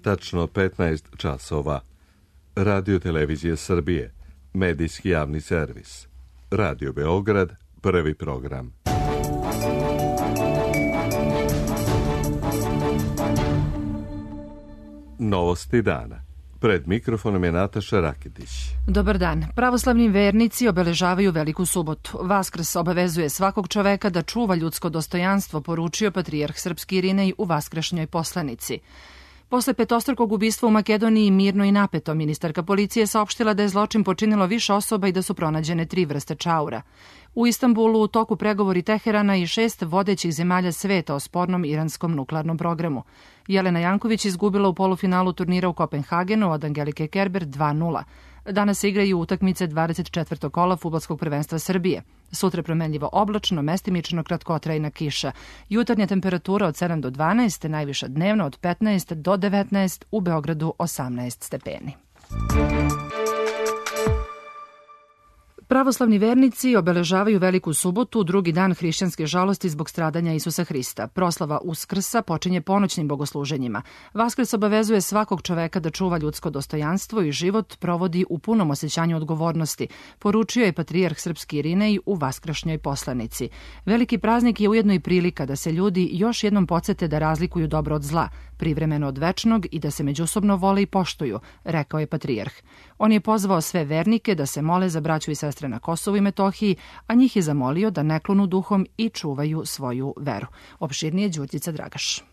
tačno 15 časova. Radio Televizije Srbije, medijski javni servis. Radio Beograd, prvi program. Novosti dana. Pred mikrofonom je Nataša Raketić. Dobar dan. Pravoslavni vernici obeležavaju Veliku subotu. Vaskrs obavezuje svakog čoveka da čuva ljudsko dostojanstvo, poručio patrijarh srpski Irinej u vaskršnjoj poslanici. Posle petostrukog ubistva u Makedoniji mirno i napeto, ministarka policije saopštila da je zločin počinilo više osoba i da su pronađene 3 vrste čaura. U Istanbulu u toku pregovori Teherana i 6 vodećih zemalja sveta o spornom iranskom nuklearnom programu. Jelena Janković izgubila u polufinalu turnira u Kopenhagenu od Angelike Kerber 2:0. Danas se igraju utakmice 24. kola fudbalskog prvenstva Srbije. Sutra promenljivo oblačno, mestimično kratkotrajna kiša. Jutarnja temperatura od 7 do 12, najviša dnevno od 15 do 19, u Beogradu 18 stepeni. Pravoslavni vernici obeležavaju Veliku subotu, drugi dan hrišćanske žalosti zbog stradanja Isusa Hrista. Proslava Uskrsa počinje ponoćnim bogosluženjima. Vaskrs obavezuje svakog čoveka da čuva ljudsko dostojanstvo i život provodi u punom osjećanju odgovornosti, poručio je patrijarh srpski Irinej u vaskršnjoj poslanici. Veliki praznik je ujedno i prilika da se ljudi još jednom podsete da razlikuju dobro od zla, privremeno od večnog i da se međusobno vole i poštuju, rekao je patrijarh. On je pozvao sve vernike da se mole za braću i sestre na Kosovu i Metohiji, a njih je zamolio da ne klonu duhom i čuvaju svoju veru. Opširnije Đurđica Dragaš.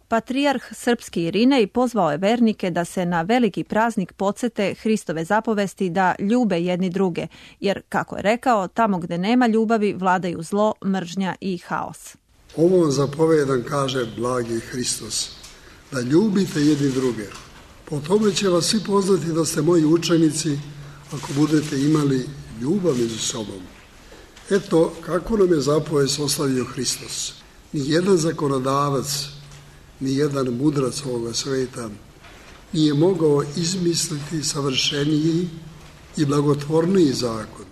Patrijarh srpski Irinej pozvao je vernike da se na veliki praznik podsete Hristove zapovesti da ljube jedni druge, jer, kako je rekao, tamo gde nema ljubavi vladaju zlo, mržnja i haos. Ovo vam zapovedam, kaže blagi Hristos, da ljubite jedni druge. Po tome će vas svi poznati da ste moji učenici ako budete imali ljubav među sobom. Eto kako nam je zapovest ostavio Hristos. Nijedan zakonodavac, nijedan mudrac ovoga sveta nije mogao izmisliti savršeniji i blagotvorniji zakon.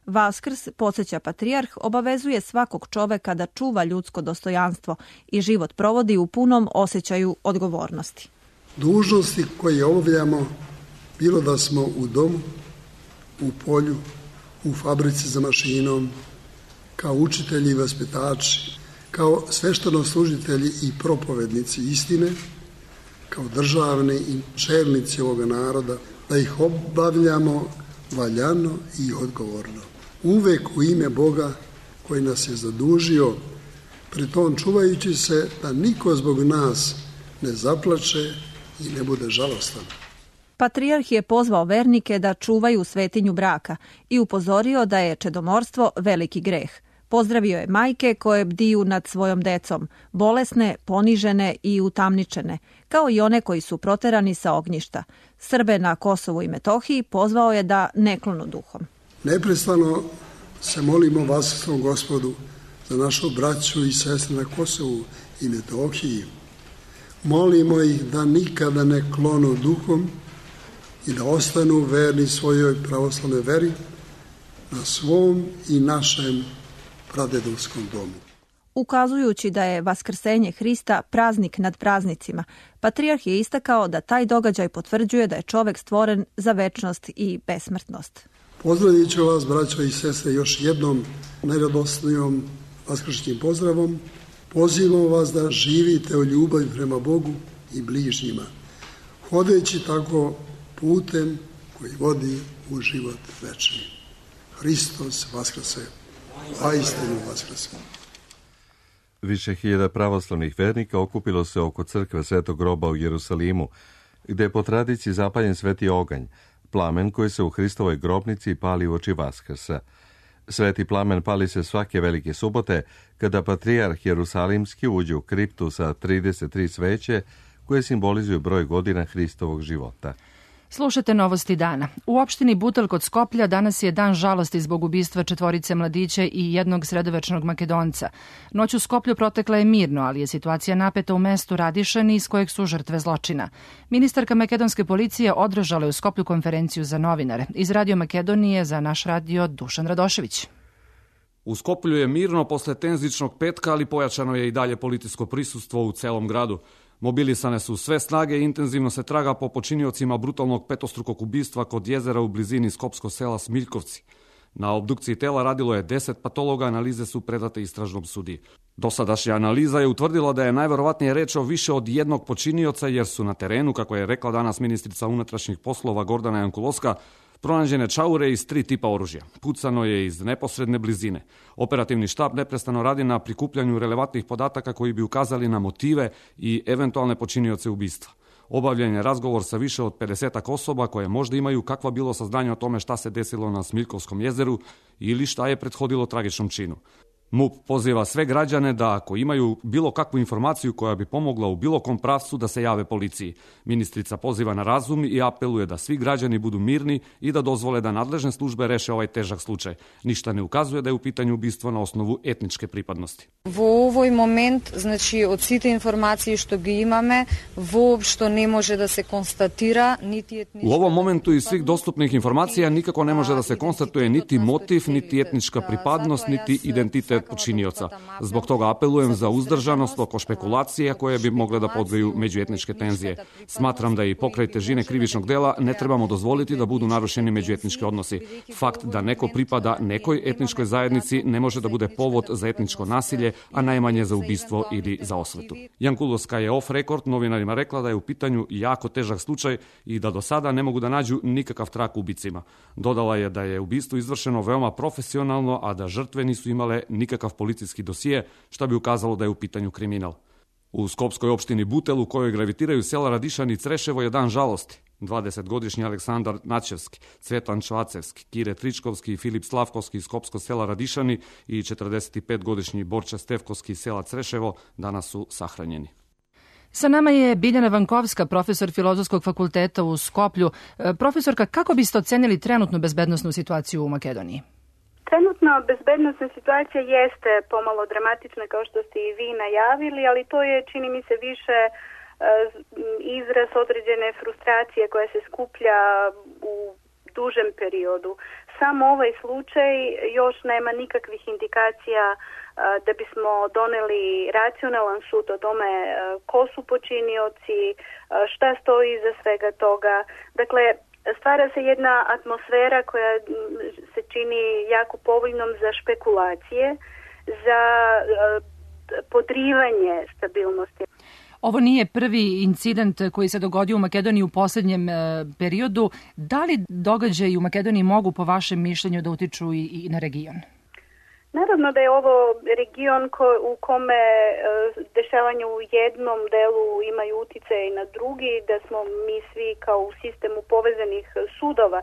Vaskrs, podsjeća patrijarh, obavezuje svakog čoveka da čuva ljudsko dostojanstvo i život provodi u punom osjećaju odgovornosti. Dužnosti koje obavljamo, bilo da smo u domu, u polju, u fabrici za mašinom, kao učitelji i vaspitači, kao sveštenoslužitelji i propovednici istine, kao državni i čelnici ovoga naroda, da ih obavljamo valjano i odgovorno. Uvek u ime Boga koji nas je zadužio, pritom čuvajući se da niko zbog nas ne zaplače i ne bude žalostan. Patrijarh je pozvao vernike da čuvaju svetinju braka i upozorio da je čedomorstvo veliki greh. Pozdravio je majke koje bdiju nad svojom decom, bolesne, ponižene i utamničene, kao i one koji su proterani sa ognjišta. Srbe na Kosovu i Metohiji pozvao je da ne klonu duhom. Neprestano se molimo Vaskrsnom Gospodu za našu braću i sestre na Kosovu i Metohiji. Molimo ih da nikada ne klonu duhom i da ostanu verni svojoj pravoslavnoj veri na svom i našem pradedovskom domu. Ukazujući da je Vaskrsenje Hrista praznik nad praznicima, patrijarh je istakao da taj događaj potvrđuje da je čovek stvoren za večnost i besmrtnost. Pozdravit ću vas, braćo i sestre, još jednom najradosnijom vaskršnjim pozdravom. Pozivam vas da živite u ljubavi prema Bogu i bližnjima, hodeći tako putem koji vodi u život večni. Hristos vaskrse, a istinu vaskrse. Više hiljada pravoslavnih vernika okupilo se oko crkve Svetog groba u Jerusalimu, gde je po tradiciji zapaljen sveti oganj, plamen koji se u Hristovoj grobnici pali uoči Vaskrsa. Sveti plamen pali se svake velike subote, kada patrijarh Jerusalimski uđe u kriptu sa 33 sveće, koje simbolizuju broj godina Hristovog života. Slušate novosti dana. U opštini Butel kod Skoplja danas je dan žalosti zbog ubistva 4 mladića i jednog sredovečnog Makedonca. Noć u Skoplju protekla je mirno, ali je situacija napeta u mestu Radišani iz kojeg su žrtve zločina. Ministarka makedonske policije održala je u Skoplju konferenciju za novinare. Iz Radio Makedonije za naš radio Dušan Radošević. U Skoplju je mirno posle tenzičnog petka, ali pojačano je i dalje policijsko prisustvo u celom gradu. Mobilisane su sve snage i intenzivno se traga po počiniocima brutalnog petostrukog ubistva kod jezera u blizini skopskog sela Smiljkovci. Na obdukciji tela radilo je 10 patologa, analize su predate istražnom sudiji. Dosadašnja analiza je utvrdila da je najverovatnije reč o više od jednog počinioca, jer su na terenu, kako je rekla danas ministrica unutrašnjih poslova Gordana Jankulovska, pronađene čaure iz 3 tipa oružja. Pucano je iz neposredne blizine. Operativni štab neprestano radi na prikupljanju relevantnih podataka koji bi ukazali na motive i eventualne počinioce ubistva. Obavljen je razgovor sa više od 50 osoba koje možda imaju kakva bilo saznanje o tome šta se desilo na Smiljkovskom jezeru ili šta je prethodilo tragičnom činu. MUP poziva sve građane da ako imaju bilo kakvu informaciju koja bi pomogla u bilo kom pravcu da se jave policiji. Ministrica poziva na razum i apeluje da svi građani budu mirni i da dozvole da nadležne službe reše ovaj težak slučaj. Ništa ne ukazuje da je u pitanju ubistvo na osnovu etničke pripadnosti. V ovoj moment, znači od site informacije što gi imame, uopšte ne može da se konstatira niti etnička. U ovom momentu iz svih dostupnih informacija nikako ne može da se konstatuje niti motiv, niti etnička pripadnost, niti identitet počinioca. Zbog toga apelujem za uzdržanost oko špekulacija koje bi mogle da podveju međuetničke tenzije. Smatram da i pokraj težine krivičnog dela ne trebamo dozvoliti da budu narušeni međuetnički odnosi. Fakt da neko pripada nekoj etničkoj zajednici ne može da bude povod za etničko nasilje, a najmanje za ubistvo ili za osvetu. Jankulovska je off record novinarima rekla da je u pitanju jako težak slučaj i da do sada ne mogu da nađu nikakav trag ubicima. Dodala je da je ubistvo izvršeno veoma profesionalno, a da žrtve nisu imale nikakav policijski dosije, šta bi ukazalo da je u pitanju kriminal. U skopskoj opštini Butel, u kojoj gravitiraju sela Radišani i Creševo, je dan žalosti. 20-godišnji Aleksandar Načevski, Cvetan Čvacevski, Kire Tričkovski i Filip Slavkovski iz skopskog sela Radišani i 45-godišnji Borča Stevkovski iz sela Creševo danas su sahranjeni. Sa nama je Biljana Vankovska, profesor Filozofskog fakulteta u Skoplju. Profesorka, kako biste ocenili trenutnu bezbednosnu situaciju u Makedoniji? Trenutno bezbednosna situacija jeste pomalo dramatična, kao što ste i vi najavili, ali to je, čini mi se, više izraz određene frustracije koja se skuplja u dužem periodu. Samo ovaj slučaj još nema nikakvih indikacija da bismo doneli racionalan sud o tome ko su počinioci, šta stoji iza svega toga. Dakle, stvara se jedna atmosfera koja se čini jako povoljnom za špekulacije, za podrivanje stabilnosti. Ovo nije prvi incident koji se dogodio u Makedoniji u posljednjem periodu. Da li događaji u Makedoniji mogu, po vašem mišljenju, da utiču i na region? Naravno da je ovo region u kome dešavanje u jednom delu imaju utjecaj na drugi, da smo mi svi kao u sistemu povezanih sudova,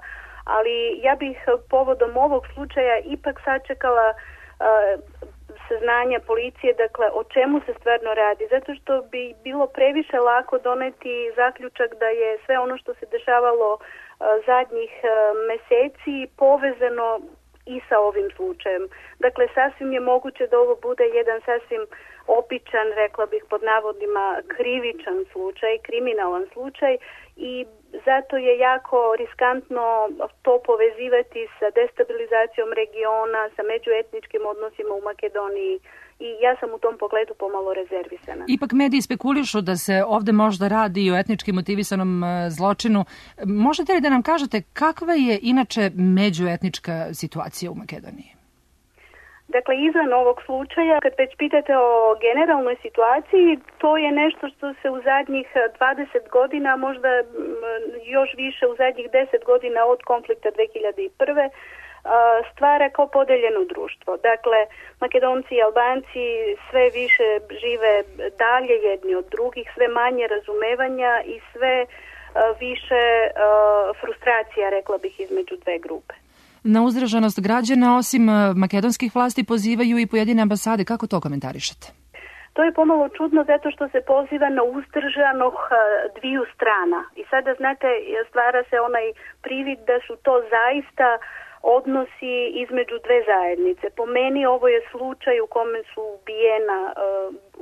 ali ja bih povodom ovog slučaja ipak sačekala saznanja policije, dakle o čemu se stvarno radi, zato što bi bilo previše lako doneti zaključak da je sve ono što se dešavalo zadnjih meseci povezano i sa ovim slučajem. Dakle, sasvim je moguće da ovo bude jedan sasvim običan, rekla bih pod navodima, krivičan slučaj, kriminalan slučaj i zato je jako riskantno to povezivati sa destabilizacijom regiona, sa međuetničkim odnosima u Makedoniji i ja sam u tom pogledu pomalo rezervisana. Ipak mediji spekulišu da se ovde možda radi o etnički motivisanom zločinu. Možete li da nam kažete kakva je inače međuetnička situacija u Makedoniji? Dakle, izvan ovog slučaja, kad već pitate o generalnoj situaciji, to je nešto što se u zadnjih 20 godina, možda još više u zadnjih 10 godina od konflikta 2001. stvara kao podeljeno društvo. Dakle, Makedonci i Albanci sve više žive dalje jedni od drugih, sve manje razumevanja i sve više frustracija, rekla bih, između dve grupe. Na uzdržanost građana, osim makedonskih vlasti, pozivaju i pojedine ambasade. Kako to komentarišete? To je pomalo čudno zato što se poziva na uzdržanog dviju strana. I sada, znate, stvara se onaj privid da su to zaista odnosi između dve zajednice. Po meni ovo je slučaj u kome su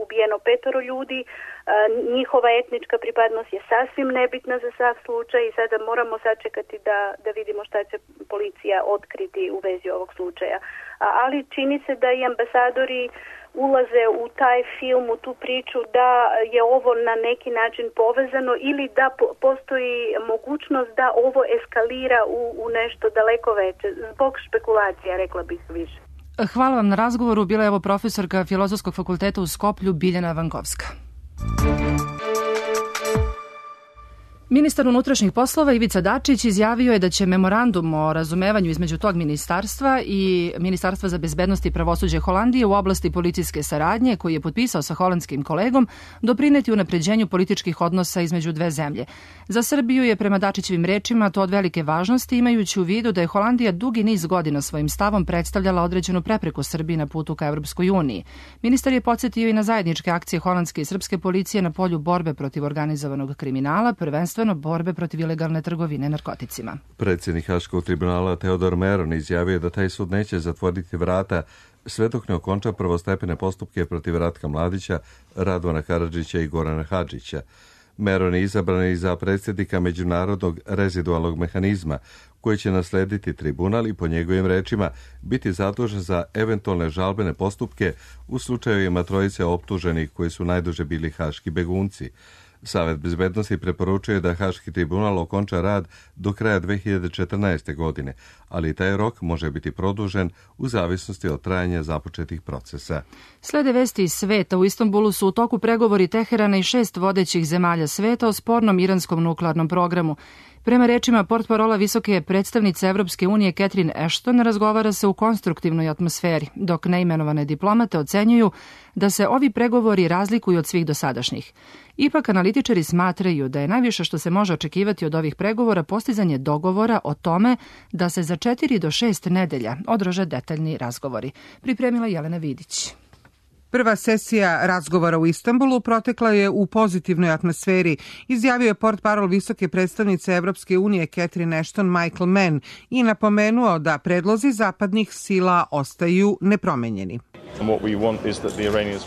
ubijeno 5 ljudi. Njihova etnička pripadnost je sasvim nebitna za sav slučaj i sada moramo sačekati da vidimo šta će policija otkriti u vezi ovog slučaja. Ali čini se da i ambasadori ulaze u taj film, u tu priču da je ovo na neki način povezano ili da postoji mogućnost da ovo eskalira u nešto daleko veće, zbog špekulacija, rekla bih više. Hvala vam na razgovoru. Bila je ovo profesorka Filozofskog fakulteta u Skoplju, Biljana Vankovska. Ministar unutrašnjih poslova Ivica Dačić izjavio je da će memorandum o razumevanju između tog ministarstva i Ministarstva za bezbednost i pravosuđe Holandije u oblasti policijske saradnje, koji je potpisao sa holandskim kolegom, doprineti unapređenju političkih odnosa između dve zemlje. Za Srbiju je prema Dačićevim rečima to od velike važnosti, imajući u vidu da je Holandija dugi niz godina svojim stavom predstavljala određenu prepreku Srbiji na putu ka Evropskoj uniji. Ministar je podsjetio i na zajedničke akcije holandske i srpske policije na polju borbe protiv organizovanog kriminala, prvenstveno borbe protiv ilegalne trgovine narkoticima. Predsjednik Haškog tribunala Teodor Meron izjavio da taj sud neće zatvoriti vrata sve dok ne okonča prvostepene postupke protiv Ratka Mladića, Radovana Karadžića i Gorana Hadžića. Meron je izabran i za predsjednika Međunarodnog rezidualnog mehanizma, koji će naslediti tribunal i po njegovim rečima biti zadužen za eventualne žalbene postupke u slučajevima trojice optuženih koji su najduže bili haški begunci. Savet bezbednosti preporučuje da Haški tribunal okonča rad do kraja 2014. godine, ali taj rok može biti produžen u zavisnosti od trajanja započetih procesa. Slede vesti iz sveta. U Istanbulu su u toku pregovori Teherana i 6 vodećih zemalja sveta o spornom iranskom nuklearnom programu. Prema rečima portparola visoke predstavnice Evropske unije Catherine Ashton, razgovara se u konstruktivnoj atmosferi, dok neimenovane diplomate ocenjuju da se ovi pregovori razlikuju od svih dosadašnjih. Ipak analitičari smatraju da je najviše što se može očekivati od ovih pregovora postizanje dogovora o tome da se za 4 do 6 nedelja održe detaljni razgovori. Pripremila Jelena Vidić. Prva sesija razgovora u Istanbulu protekla je u pozitivnoj atmosferi, izjavio je portparol visoke predstavnice Evropske unije Catherine Ashton Michael Mann i napomenuo da predlozi zapadnih sila ostaju nepromenjeni.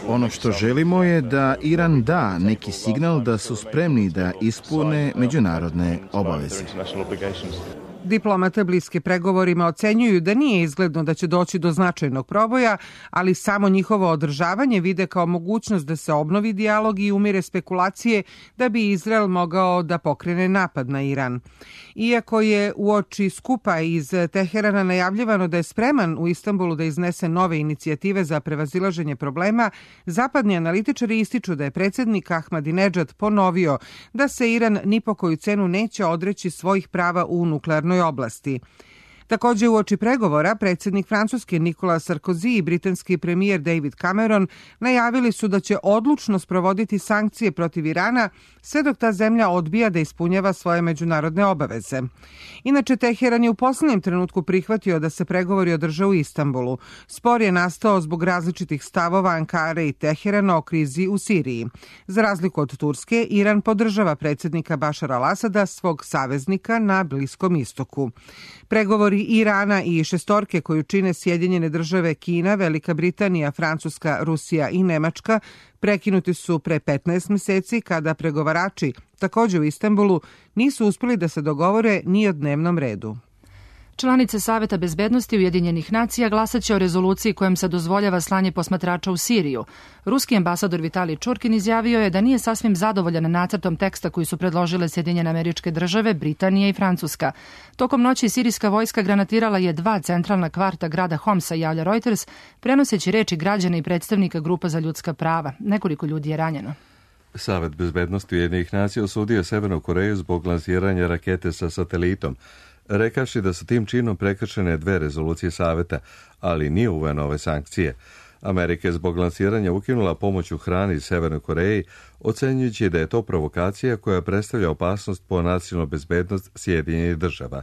Ono što želimo je da Iran da neki signal da su spremni da ispune međunarodne obaveze. Diplomate bliske pregovorima ocenjuju da nije izgledno da će doći do značajnog proboja, ali samo njihovo održavanje vide kao mogućnost da se obnovi dijalog i umire spekulacije da bi Izrael mogao da pokrene napad na Iran. Iako je uoči skupa iz Teherana najavljivano da je spreman u Istanbulu da iznese nove inicijative za prevazilaženje problema, zapadni analitičari ističu da je predsjednik Ahmadinedžad ponovio da se Iran ni po koju cenu neće odreći svojih prava u nuklearnoj oblasti. Također uoči pregovora predsjednik Francuske Nicolas Sarkozy i britanski premijer David Cameron najavili su da će odlučno sprovoditi sankcije protiv Irana sve dok ta zemlja odbija da ispunjava svoje međunarodne obaveze. Inače, Teheran je u posljednjem trenutku prihvatio da se pregovori održe u Istanbulu. Spor je nastao zbog različitih stavova Ankare i Teherana o krizi u Siriji. Za razliku od Turske, Iran podržava predsjednika Bašara al-Asada, svog saveznika na Bliskom istoku. Pregovori Irana i šestorke koju čine Sjedinjene države, Kina, Velika Britanija, Francuska, Rusija i Nemačka prekinuti su pre 15 mjeseci kada pregovarači, također u Istanbulu, nisu uspjeli da se dogovore ni o dnevnom redu. Članice Saveta bezbednosti Ujedinjenih nacija glasaće o rezoluciji kojom se dozvoljava slanje posmatrača u Siriju. Ruski ambasador Vitalij Čurkin izjavio je da nije sasvim zadovoljan nacrtom teksta koji su predložile Sjedinjene Američke Države, Britanija i Francuska. Tokom noći sirijska vojska granatirala je 2 centralna kvarta grada Homsa, javlja Reuters, prenoseći reči građana i predstavnika grupa za ljudska prava. Nekoliko ljudi je ranjeno. Savet bezbednosti Ujedinjenih nacija osudio Severnu Koreju zbog lansiranja rakete sa satelitom, rekavši da su tim činom prekršene 2 rezolucije Saveta, ali nije uveo nove sankcije. Amerika je zbog lansiranja ukinula pomoć u hrani Severnoj Koreji, ocenjujući da je to provokacija koja predstavlja opasnost po nacionalnu bezbednost Sjedinjenih država.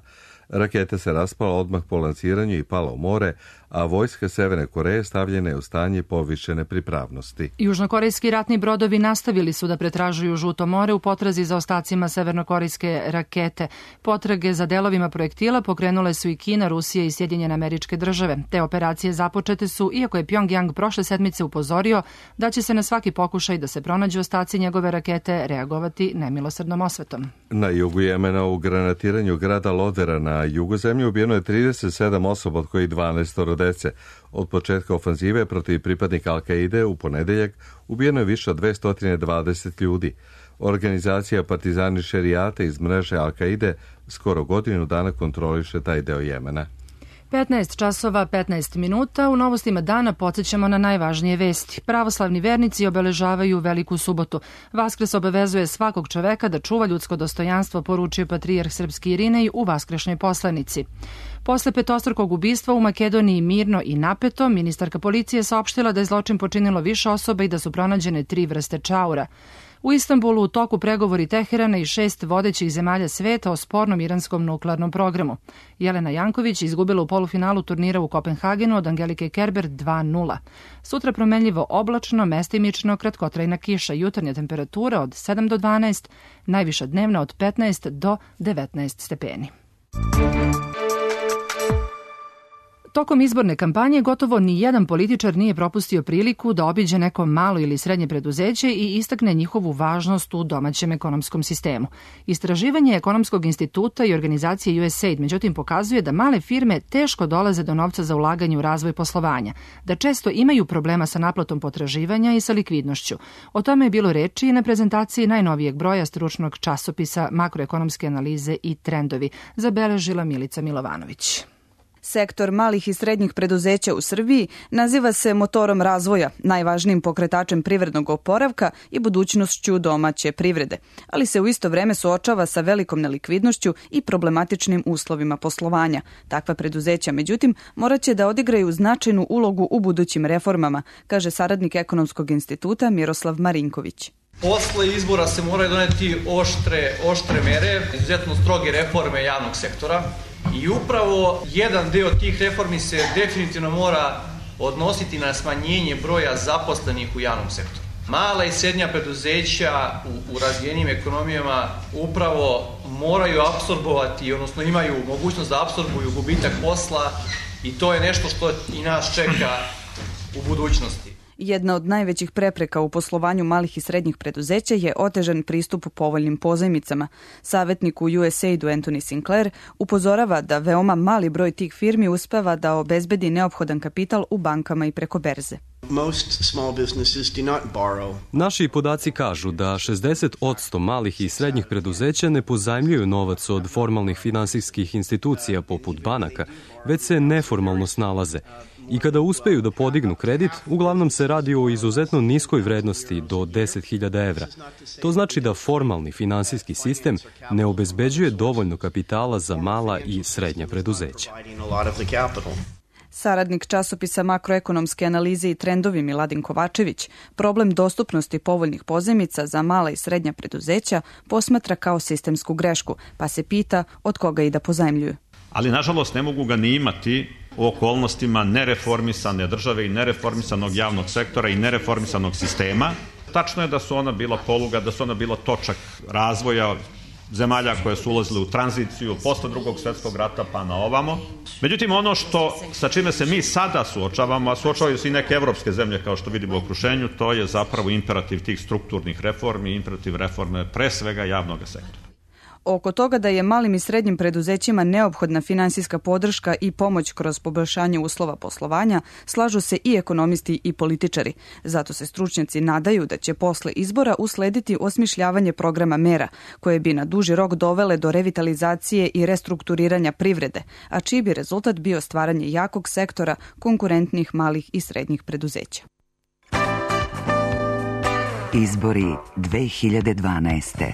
Raketa se raspala odmah po lansiranju i pala u more, a vojska Severne Koreje stavljena je u stanje povišene pripravnosti. Južnokorejski ratni brodovi nastavili su da pretražuju Žuto more u potrazi za ostacima severnokorejske rakete. Potrage za delovima projektila pokrenule su i Kina, Rusija i Sjedinjene Američke Države. Te operacije započete su, iako je Pjongjang prošle sedmice upozorio da će se na svaki pokušaj da se pronađu ostaci njegove rakete reagovati nemilosrdnom osvetom. Na jugu Jemena u granatiranju grada Lodera na Na jugozemlji ubijeno je 37 osoba, od kojih 12 dece. Od početka ofanzive protiv pripadnika Al-Kaide u ponedeljak ubijeno je više od 220 ljudi. Organizacija Partizani šerijata iz mreže Al-Kaide skoro godinu dana kontroliše taj deo Jemena. 15 časova, 15 minuta. U novostima dana podsjećamo na najvažnije vesti. Pravoslavni vernici obeležavaju Veliku subotu. Vaskrs obavezuje svakog čoveka da čuva ljudsko dostojanstvo, poručio patrijarh srpski Irinej u vaskrešnjoj poslanici. Posle petostrukog ubistva u Makedoniji mirno i napeto, ministarka policije saopštila da je zločin počinilo više osoba i da su pronađene 3 vrste čaura. U Istanbulu u toku pregovori Teherana i 6 vodećih zemalja sveta o spornom iranskom nuklearnom programu. Jelena Janković izgubila u polufinalu turnira u Kopenhagenu od Angelike Kerber 2:0. Sutra promenljivo oblačno, mestimično, kratkotrajna kiša, jutarnja temperatura od 7 do 12, najviša dnevna od 15 do 19 stepeni. Tokom izborne kampanje gotovo ni jedan političar nije propustio priliku da obiđe neko malo ili srednje preduzeće i istakne njihovu važnost u domaćem ekonomskom sistemu. Istraživanje Ekonomskog instituta i organizacije USAID međutim pokazuje da male firme teško dolaze do novca za ulaganje u razvoj poslovanja, da često imaju problema sa naplatom potraživanja i sa likvidnošću. O tome je bilo reči i na prezentaciji najnovijeg broja stručnog časopisa Makroekonomske analize i trendovi, zabeležila Milica Milovanović. Sektor malih i srednjih preduzeća u Srbiji naziva se motorom razvoja, najvažnijim pokretačem privrednog oporavka i budućnošću domaće privrede, ali se u isto vreme suočava sa velikom nelikvidnošću i problematičnim uslovima poslovanja. Takva preduzeća, međutim, moraće da odigraju značajnu ulogu u budućim reformama, kaže saradnik Ekonomskog instituta Miroslav Marinković. Posle izbora se moraju doneti oštre mere, izuzetno stroge reforme javnog sektora. I upravo jedan deo tih reformi se definitivno mora odnositi na smanjenje broja zaposlenih u javnom sektoru. Mala i srednja preduzeća u razvijenim ekonomijama upravo moraju apsorbovati, odnosno imaju mogućnost da apsorbuju gubitak posla i to je nešto što i nas čeka u budućnosti. Jedna od najvećih prepreka u poslovanju malih i srednjih preduzeća je otežan pristup povoljnim pozajmicama. Savjetnik u USAID-u Anthony Sinclair upozorava da veoma mali broj tih firmi uspeva da obezbedi neophodan kapital u bankama i preko berze. Naši podaci kažu da 60% malih i srednjih preduzeća ne pozajmljuju novac od formalnih finansijskih institucija poput banaka, već se neformalno snalaze. I kada uspeju da podignu kredit, uglavnom se radi o izuzetno niskoj vrednosti do 10.000 evra. To znači da formalni finansijski sistem ne obezbeđuje dovoljno kapitala za mala i srednja preduzeća. Saradnik časopisa Makroekonomske analize i trendovi Miladin Kovačević problem dostupnosti povoljnih pozajmica za mala i srednja preduzeća posmatra kao sistemsku grešku, pa se pita od koga i da pozajmljuju. Ali nažalost ne mogu ga ni imati u okolnostima nereformisane države i nereformisanog javnog sektora i nereformisanog sistema. Tačno je da su ona bila poluga, da su ona bila točak razvoja zemalja koje su ulazile u tranziciju posle Drugog svjetskog rata pa na ovamo. Međutim, ono sa čime se mi sada suočavamo, a suočavaju se i neke evropske zemlje kao što vidimo u okruženju, to je zapravo imperativ tih strukturnih reformi, imperativ reforme pre svega javnog sektora. Oko toga da je malim i srednjim preduzećima neophodna finansijska podrška i pomoć kroz poboljšanje uslova poslovanja, slažu se i ekonomisti i političari. Zato se stručnjaci nadaju da će posle izbora uslediti osmišljavanje programa mera, koje bi na duži rok dovele do revitalizacije i restrukturiranja privrede, a čiji bi rezultat bio stvaranje jakog sektora konkurentnih malih i srednjih preduzeća. Izbori 2012.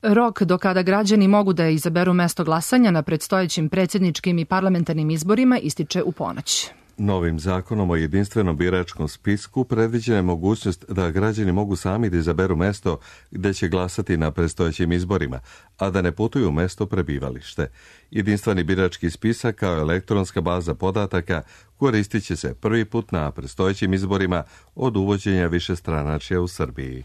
Rok do kada građani mogu da izaberu mesto glasanja na predstojećim predsjedničkim i parlamentarnim izborima ističe u ponoć. Novim zakonom o jedinstvenom biračkom spisku predviđena je mogućnost da građani mogu sami da izaberu mesto gde će glasati na predstojećim izborima, a da ne putuju u mesto prebivalište. Jedinstveni birački spisak kao elektronska baza podataka koristit će se prvi put na predstojećim izborima od uvođenja višestranačja u Srbiji.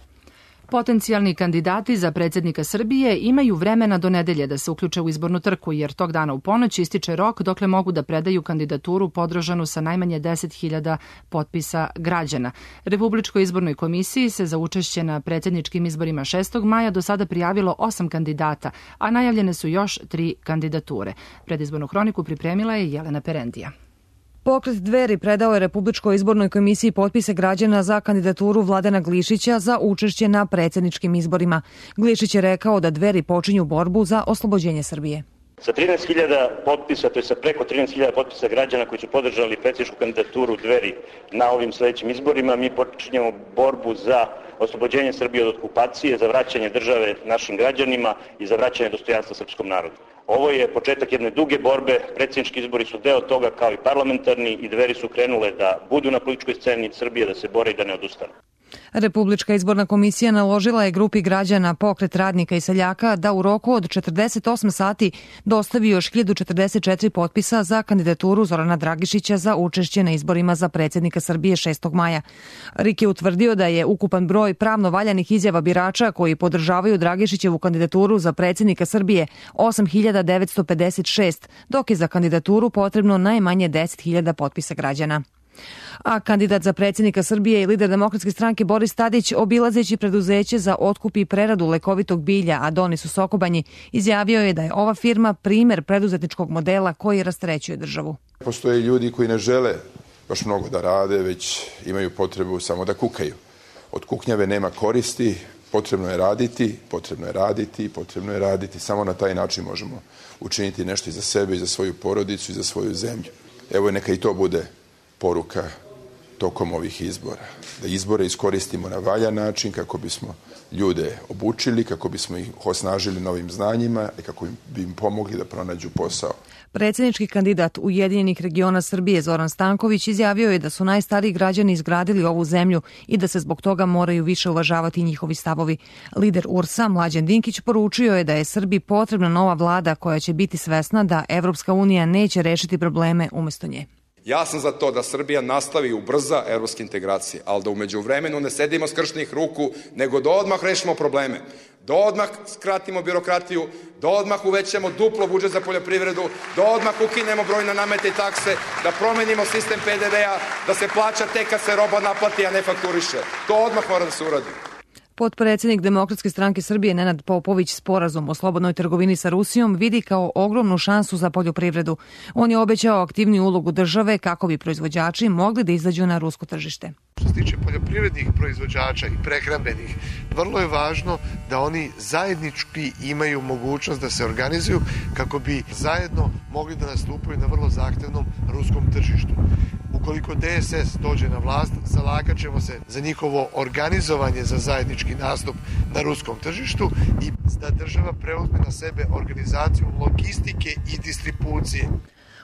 Potencijalni kandidati za predsjednika Srbije imaju vremena do nedelje da se uključe u izbornu trku, jer tog dana u ponoć ističe rok dokle mogu da predaju kandidaturu podržanu sa najmanje 10.000 potpisa građana. Republičkoj izbornoj komisiji se za učešće na predsjedničkim izborima 6. maja do sada prijavilo 8 kandidata, a najavljene su još 3 kandidature. Predizbornu hroniku pripremila je Jelena Perendija. Pokret Dveri predao je Republičkoj izbornoj komisiji potpise građana za kandidaturu Vladana Glišića za učešće na predsjedničkim izborima. Glišić je rekao da Dveri počinju borbu za oslobođenje Srbije. Sa 13.000 potpisa, to je sa preko 13.000 potpisa građana koji su podržali predsjedničku kandidaturu Dveri na ovim sljedećim izborima, mi počinjemo borbu za oslobođenje Srbije od okupacije, za vraćanje države našim građanima i za vraćanje dostojanstva srpskom narodu. Ovo je početak jedne duge borbe, predsjednički izbori su deo toga kao i parlamentarni i Dveri su krenule da budu na političkoj sceni Srbije, da se bore i da ne odustanu. Republička izborna komisija naložila je grupi građana Pokret radnika i seljaka da u roku od 48 sati dostavi još 1044 potpisa za kandidaturu Zorana Dragišića za učešće na izborima za predsjednika Srbije 6. maja. RIK je utvrdio da je ukupan broj pravno valjanih izjava birača koji podržavaju Dragišićevu kandidaturu za predsjednika Srbije 8.956, dok je za kandidaturu potrebno najmanje 10.000 potpisa građana. A kandidat za predsjednika Srbije i lider Demokratske stranke Boris Tadić, obilazeći preduzeće za otkup i preradu lekovitog bilja Adonis u Sokobanji, izjavio je da je ova firma primer preduzetničkog modela koji rasterećuje državu. Postoje ljudi koji ne žele baš mnogo da rade, već imaju potrebu samo da kukaju. Od kuknjave nema koristi, potrebno je raditi, potrebno je raditi, potrebno je raditi. Samo na taj način možemo učiniti nešto i za sebe, i za svoju porodicu, i za svoju zemlju. Evo neka i to bude poruka tokom ovih izbora. Da izbore iskoristimo na valjan način kako bismo ljude obučili, kako bismo ih osnažili novim znanjima i kako bi im pomogli da pronađu posao. Predsjednički kandidat Ujedinjenih regiona Srbije Zoran Stanković izjavio je da su najstariji građani izgradili ovu zemlju i da se zbog toga moraju više uvažavati njihovi stavovi. Lider URS-a Mlađan Dinkić poručio je da je Srbiji potrebna nova vlada koja će biti svesna da Evropska unija neće rešiti probleme umjesto nje. Ja sam za to da Srbija nastavi ubrza evropske integracije, ali da u međuvremenu ne sedimo skrštenih ruku, nego da odmah rešimo probleme, da odmah skratimo birokratiju, da odmah uvećamo duplo budžet za poljoprivredu, da odmah ukinemo brojne namete i takse, da promenimo sistem PDV-a, da se plaća tek kad se roba naplati, a ne fakturiše. To odmah mora da se uradi. Potpredsjednik Demokratske stranke Srbije Nenad Popović sporazum o slobodnoj trgovini sa Rusijom vidi kao ogromnu šansu za poljoprivredu. On je obećao aktivniju ulogu države kako bi proizvođači mogli da izađu na rusko tržište. Što se tiče poljoprivrednih proizvođača i prehrambenih, vrlo je važno da oni zajednički imaju mogućnost da se organizuju kako bi zajedno mogli da nastupaju na vrlo zahtevnom ruskom tržištu. Ukoliko DSS dođe na vlast, zalagat ćemo se za njihovo organizovanje za zajednički nastup na ruskom tržištu i da država preuzme na sebe organizaciju logistike i distribucije.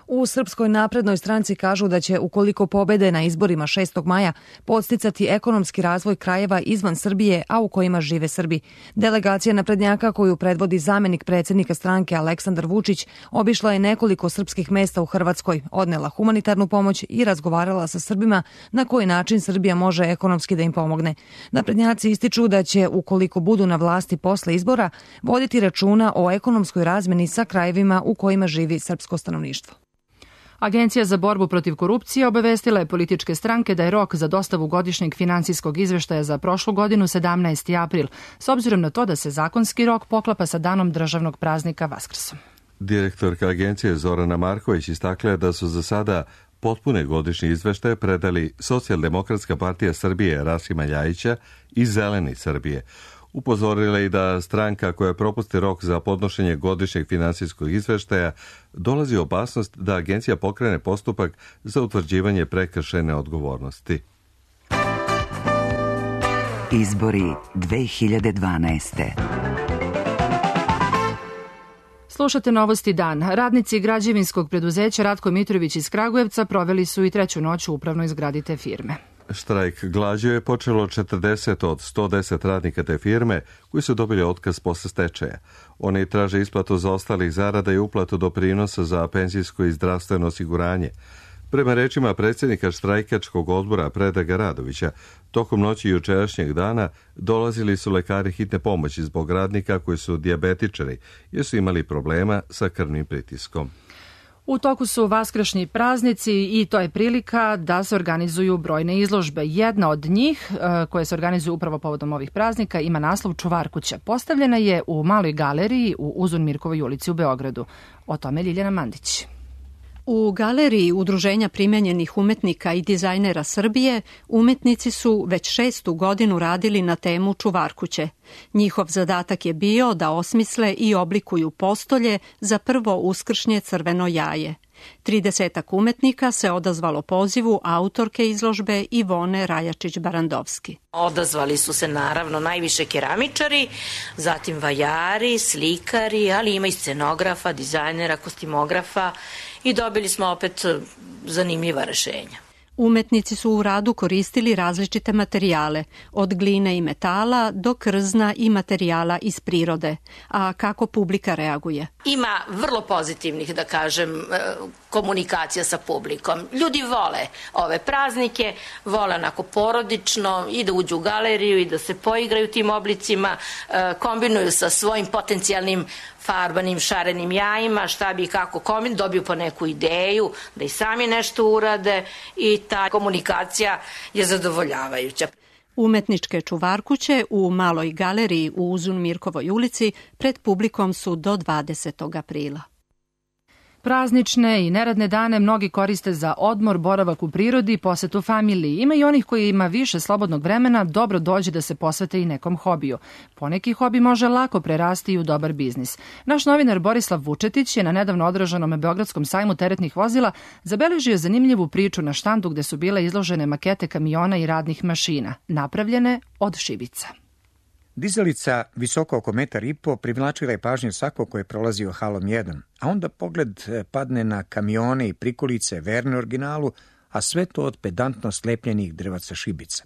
U Srpskoj naprednoj stranci kažu da će, ukoliko pobede na izborima 6. maja, podsticati ekonomski razvoj krajeva izvan Srbije, a u kojima žive Srbi. Delegacija naprednjaka koju predvodi zamenik predsjednika stranke Aleksandar Vučić obišla je nekoliko srpskih mesta u Hrvatskoj, odnela humanitarnu pomoć i razgovarala sa Srbima na koji način Srbija može ekonomski da im pomogne. Naprednjaci ističu da će, ukoliko budu na vlasti posle izbora, voditi računa o ekonomskoj razmeni sa krajevima u kojima živi srpsko stanovništvo. Agencija za borbu protiv korupcije obavestila je političke stranke da je rok za dostavu godišnjeg finansijskog izveštaja za prošlu godinu 17. april, s obzirom na to da se zakonski rok poklapa sa danom državnog praznika Vaskrsom. Direktorka agencije Zorana Marković istakla je da su za sada potpune godišnje izveštaje predali Socijaldemokratska partija Srbije Rasima Ljajića i Zeleni Srbije. Upozorila i da stranka koja propusti rok za podnošenje godišnjeg finansijskog izveštaja dolazi opasnost da agencija pokrene postupak za utvrđivanje prekršajne odgovornosti. Izbori 2012. Slušate Novosti dan. Radnici građevinskog preduzeća Ratko Mitrović iz Kragujevca proveli su i treću noć u upravnoj zgradi te firme. Štrajk glađu je počelo 40 od 110 radnika te firme koji su dobili otkaz posle stečaja. Oni traže isplatu zaostalih zarada i uplatu doprinosa za penzijsko i zdravstveno osiguranje. Prema rečima predsjednika štrajkačkog odbora Predraga Radovića, tokom noći jučerašnjeg dana dolazili su lekari hitne pomoći zbog radnika koji su dijabetičari jer su imali problema sa krvnim pritiskom. U toku su vaskršnji praznici i to je prilika da se organizuju brojne izložbe. Jedna od njih, koje se organizuju upravo povodom ovih praznika, ima naslov Čuvar kuće. Postavljena je u Maloj galeriji u Uzun Mirkovoj ulici u Beogradu. O tome Ljiljana Mandić. U galeriji Udruženja primenjenih umetnika i dizajnera Srbije umetnici su već 6. godinu radili na temu Čuvar kuće. Njihov zadatak je bio da osmisle i oblikuju postolje za prvo uskršnje crveno jaje. 30 umetnika se odazvalo pozivu autorke izložbe Ivone Rajačić-Barandovski. Odazvali su se naravno najviše keramičari, zatim vajari, slikari, ali ima i scenografa, dizajnera, kostimografa i dobili smo opet zanimljiva rešenja. Umetnici su u radu koristili različite materijale, od gline i metala do krzna i materijala iz prirode. A kako publika reaguje? Ima vrlo pozitivnih, da kažem, komunikacija sa publikom. Ljudi vole ove praznike, vole onako porodično i da uđu u galeriju i da se poigraju tim oblicima, kombinuju sa svojim potencijalnim farbanim, šarenim jajima, šta bi i kako dobiju po neku ideju, da i sami nešto urade i ta komunikacija je zadovoljavajuća. Umetničke čuvarkuće u Maloj galeriji u Uzun Mirkovoj ulici pred publikom su do 20. aprila. Praznične i neradne dane mnogi koriste za odmor, boravak u prirodi, posetu familiji. Ima i onih koji ima više slobodnog vremena, dobro dođe da se posvete i nekom hobiju. Poneki hobi može lako prerasti i u dobar biznis. Naš novinar Borislav Vučetić je na nedavno održanom Beogradskom sajmu teretnih vozila zabeležio zanimljivu priču na štandu gde su bile izložene makete kamiona i radnih mašina, napravljene od šibica. Dizalica, visoko oko 1,5 m, privlačila je pažnju svakog ko je prolazio halom 1, a onda pogled padne na kamione i prikolice verne originalu, a sve to od pedantno slepljenih drvaca šibica.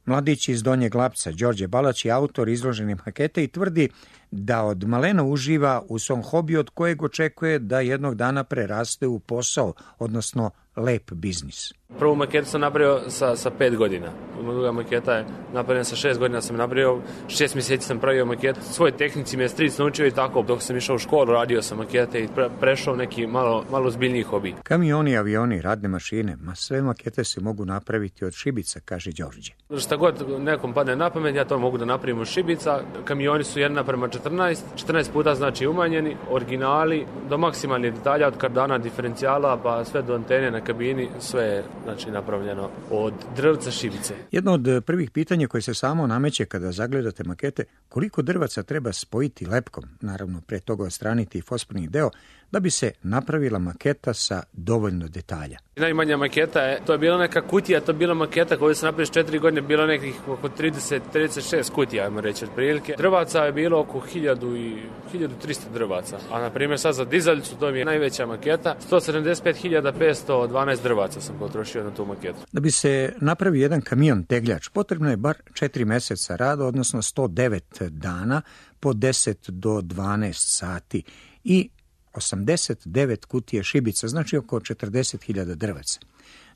Mladić iz Donjeg Lapca, Đorđe Balać, je autor izložene makete i tvrdi da od malena uživa u svom hobiju od kojeg očekuje da jednog dana preraste u posao, odnosno lep biznis. Prvu maketu sam napravio sa 5 godina. Druga maketa je napravljena sa 6 godina, sam napravio 6 mjeseci sam pravio maketu. Svoje tehnici me je stric naučio i tako, dok sam išao u školu, radio sam makete i prešao neki malo zbiljniji hobi. Kamioni, avioni, radne mašine, sve makete se mogu napraviti od šibica, kaže Đorđe. Šta god nekom padne na pamet, ja to mogu da napravim od šibica. Kamioni su 1:14, 14 puta znači umanjeni, originali, do maksimalnih detalja, od kardana, diferencijala, pa sve do antene na kabini, sve je znači napravljeno od drvca šibice. Jedno od prvih pitanja koje se samo nameće kada zagledate makete, koliko drvaca treba spojiti lepkom, naravno pre toga odstraniti fosforni deo, da bi se napravila maketa sa dovoljno detalja. Najmanja maketa to je bila neka kutija, to je bila maketa koju se napravili 4 godine, bilo nekih oko 36 kutija, ajmo reći, otprilike. Drvaca je bilo oko 1300 drvaca, a na primjer sad za dizalicu to mi je najveća maketa, 175.512 drvaca sam potrošio na tu maketu. Da bi se napravio jedan kamion tegljač, potrebno je bar 4 meseca rada, odnosno 109 dana po 10 do 12 sati i 89 kutije šibica, znači oko 40.000 drvaca.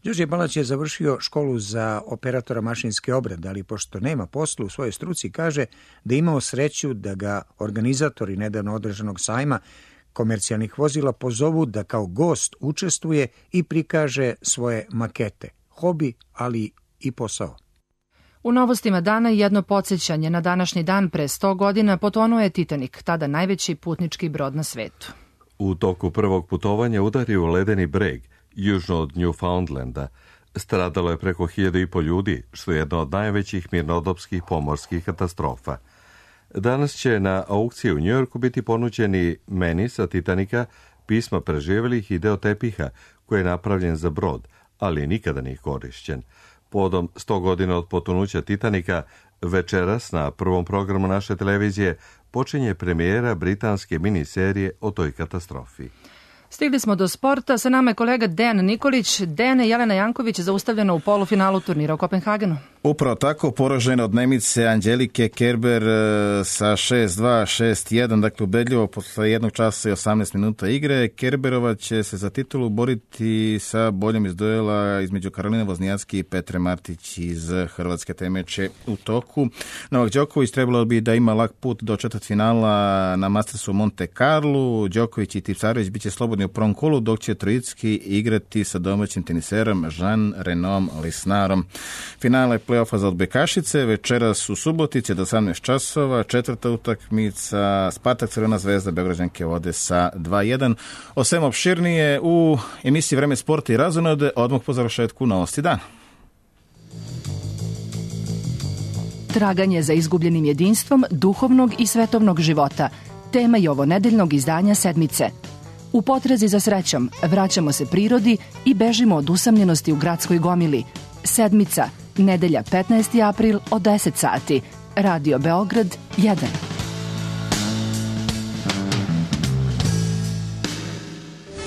Đorđe Balać je završio školu za operatora mašinske obrade, ali pošto nema posla u svojoj struci, kaže da je imao sreću da ga organizatori nedavno održanog sajma komercijalnih vozila pozovu da kao gost učestvuje i prikaže svoje makete. Hobi, ali i posao. U novostima dana jedno podsjećanje. Na današnji dan pre 100 godina potonuo je Titanik, tada najveći putnički brod na svetu. U toku prvog putovanja udario u ledeni breg, južno od Newfoundlanda. Stradalo je preko 1.500 ljudi, što je jedna od najvećih mirnodopskih pomorskih katastrofa. Danas će na aukciji u Njujorku biti ponuđeni meni sa Titanika, pisma preživjelih i deo tepiha koji je napravljen za brod, ali nikada nije korišćen. Podom 100 godina od potonuća Titanika, večeras na prvom programu naše televizije počinje premijera britanske miniserije o toj katastrofi. Stigli smo do sporta, sa nama je kolega Dejan Nikolić. Dene, Jelena Janković je zaustavljena u polufinalu turnira u Kopenhagenu. Upravo tako, poražena od Nemice Angelike Kerber sa 6-2, 6-1, dakle ubedljivo posle 1 časa i 18 minuta igre. Kerberova će se za titulu boriti sa boljom iz duela između Karoline Voznjacki i Petre Martić iz Hrvatske. Taj meč je u toku. Novak Đoković trebalo bi da ima lak put do četvrtfinala na Mastersu u Monte Carlo. Đoković i Tipsarević biće slobodni u prvom kolu, dok će Trojicki igrati sa domaćim teniserom Jean-Renom Lisnarom. Finale play-offa za odbojkašice večeras u Subotici do 18 časova. Četvrta utakmica Spartak Crvena zvezda, Beograđanke vode sa 2-1. O svem opširnije u emisiji Vreme sporta i razonode odmah po završetku Novosti dana. Traganje za izgubljenim jedinstvom duhovnog i svetovnog života. Tema je ovo nedeljnog izdanja Sedmice. U potrazi za srećom vraćamo se prirodi i bežimo od usamljenosti u gradskoj gomili. Sedmica, nedelja 15. april od 10 sati. Radio Beograd 1.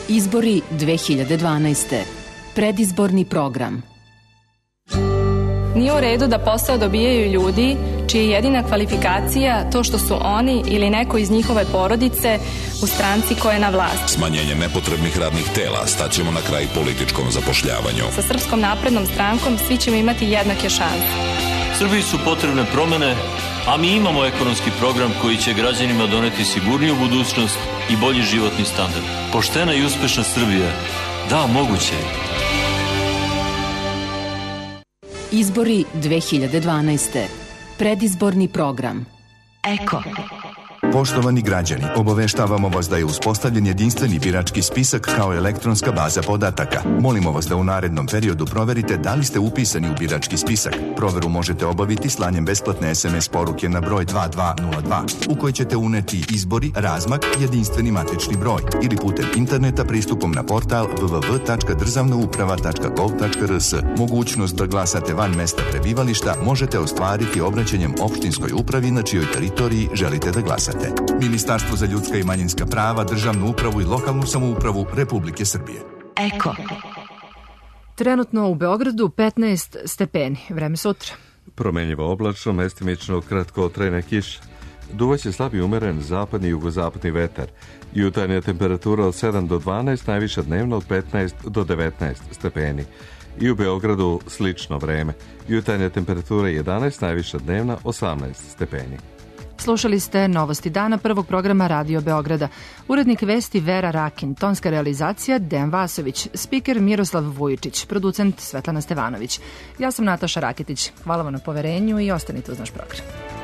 Izbori 2012. Predizborni program. Nije u redu da posao dobijaju ljudi čija je jedina kvalifikacija to što su oni ili neko iz njihove porodice u stranci koja je na vlasti. Smanjenje nepotrebnih radnih tela staćemo na kraj političkom zapošljavanju. Sa Srpskom naprednom strankom svi ćemo imati jednake šanse. Srbiji su potrebne promene, a mi imamo ekonomski program koji će građanima doneti sigurniju budućnost i bolji životni standard. Poštena i uspešna Srbija. Da, moguće je. Izbori 2012. Predizborni program. Eko. Poštovani građani, obaveštavamo vas da je uspostavljen jedinstveni birački spisak kao elektronska baza podataka. Molimo vas da u narednom periodu proverite da li ste upisani u birački spisak. Proveru možete obaviti slanjem besplatne SMS poruke na broj 2202 u kojoj ćete uneti izbori, razmak, jedinstveni matični broj ili putem interneta pristupom na portal www.državnauprava.gov.rs. Mogućnost da glasate van mesta prebivališta možete ostvariti obraćanjem opštinskoj upravi na čijoj teritoriji želite da glasate. Ministarstvo za ljudska i manjinska prava, državnu upravu i lokalnu samoupravu Republike Srbije. Eko. Trenutno u Beogradu 15 stepeni. Vreme sutra. Promenljivo oblačno, mestimično kratkotrajna kiša. Duvaće slabi umeren zapadni i jugozapadni vetar. Jutarnja temperatura od 7 do 12, najviša dnevno od 15 do 19 stepeni. I u Beogradu slično vreme. Jutarnja temperatura 11, najviša dnevna 18 stepeni. Slušali ste Novosti dana prvog programa Radio Beograda. Urednik vesti Vera Rakin, tonska realizacija Dejan Vasović, spiker Miroslav Vujičić, producent Svetlana Stevanović. Ja sam Nataša Raketić. Hvala vam na poverenju i ostanite uz naš program.